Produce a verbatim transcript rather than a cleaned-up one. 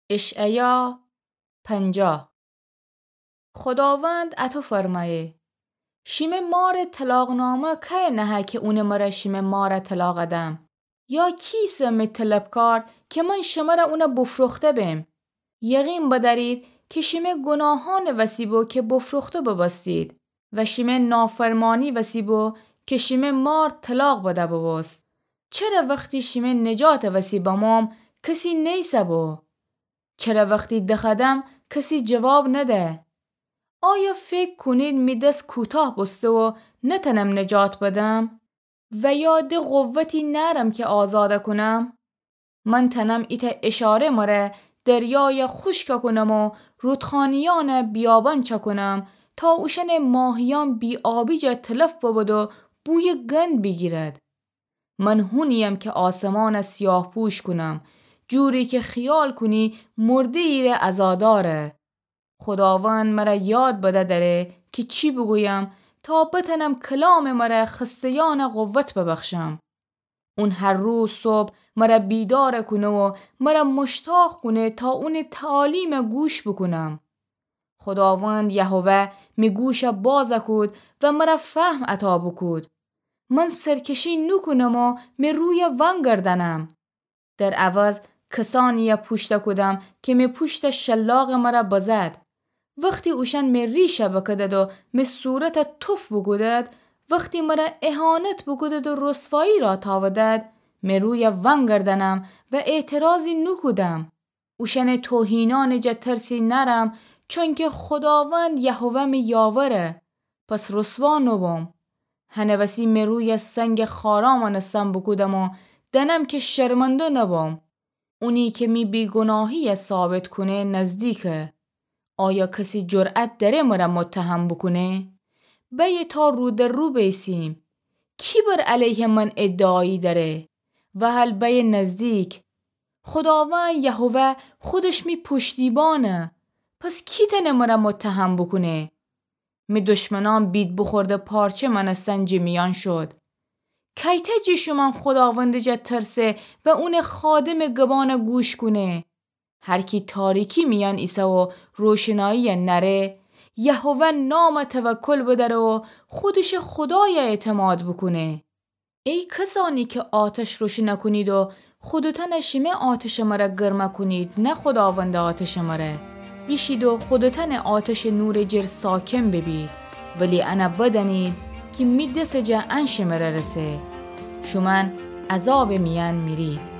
اشعیا پنجاه. خوداوند اطو فرمأیه: شیمه مارٚ طلاق‌نامه کیه نهه کی اونٚ مره شیمه ماره طلاق دم؟ یا کی ایسه می طلبکار کی من شمره اونه بفروخته بم؟ یقین بدأرید کی شیمه گوناهأنٚ وسی بو کی بفروخته بوبوستید و شیمه نافرمانی وسی بو کی شیمه مار طلاق بده بوبوست. چره وختی شیمه نجاتٚ وسی بموم کسی نیسه بو؟ چره وختی دخدم کسی جواب نده؟ آیا فکر کونید می دس کوتاه بوسته و نتنم نجات بدم؟ و یا ده قوتی نأرم کی آزاد کونم؟ من تنم ایتأ اشاره مره دریای خوشک کونم و رودخانیأن بیابان چکونم تا اوشأنٚ ماهیأن بی‌آبی جا تلف ببد و بویٚ گند بیگیرد. من هونییم کی آسمأن سیاه‌پوش کونم، جوری کی خیال کونی مرده‌یی ره عزا دأره. خوداوند مره یاد بده دأره کی چی بوگویم تا بتنم کلامٚ مره خسته‌یأن قوت ببخشم. اون هر روز صبح مره بیدار کونه و مره مشتاق کونه تا اونٚ تعالیم گوش بوکونم. خوداوند یهوه می گوش باز کود و مره فهم عطا بوکود. من سرکشی نوکونم و می روی ونگردنم. در عوض کسأنی پوشت کودم کی می پوشت شلاق مره بزد. وختی اوشأن می ریش بکدد و می صورت توف بوکودد، وختی مره اهانت بوکودد و رسوایی را تاودد، می روی ونگردنم و اعتراضی نوکودم. اوشأنٚ توهینأنٚ جا ترسی نأرم، چونکی خوداوند یهوه می یاوره، پس رسوا نوبوم. هنٚ وسی می روی سنگٚ خارا مأنستن بوکودم و دأنم کی شرمنده نوبوم. اونی کی می بی‌گوناهی ثابت کونه نزدیکه. آیا کسی جرأت دأره مره متهم بوکونه؟ بیه تا رو در رو بیسیم. کی بر علیه من ادعایی دأره؟ وهل بیه نزدیک. خوداوند یهوه خودش می پشتیبانه، پس کی تأنه مره متهم بوکونه؟ می دشمنأن بیدبخورده پارچه مأنستن جٚه میأن شد. کیتأ جٚه شومأن خوداوندٚ جا ترسه و اونٚ خادمٚ گبان گوش کونه؟ هر کی تاریکی میأن ایسه و روشنایی نأره، یهوه نام توکل بدأره و خودشٚ خودای اعتماد بوکونه. ای کسأنی کی آتش روشن کونید و خودتأن شیمه آتشٚ مره گرم کونید، نه خوداوندٚ آتشٚ مره. بیشید و خودتأن آتشٚ نورٚ جر ساکن ببید، ولی انه بدأنید کی می دسٚ جا ان شمره رسه. شومأن عذابٚ میأن میرید.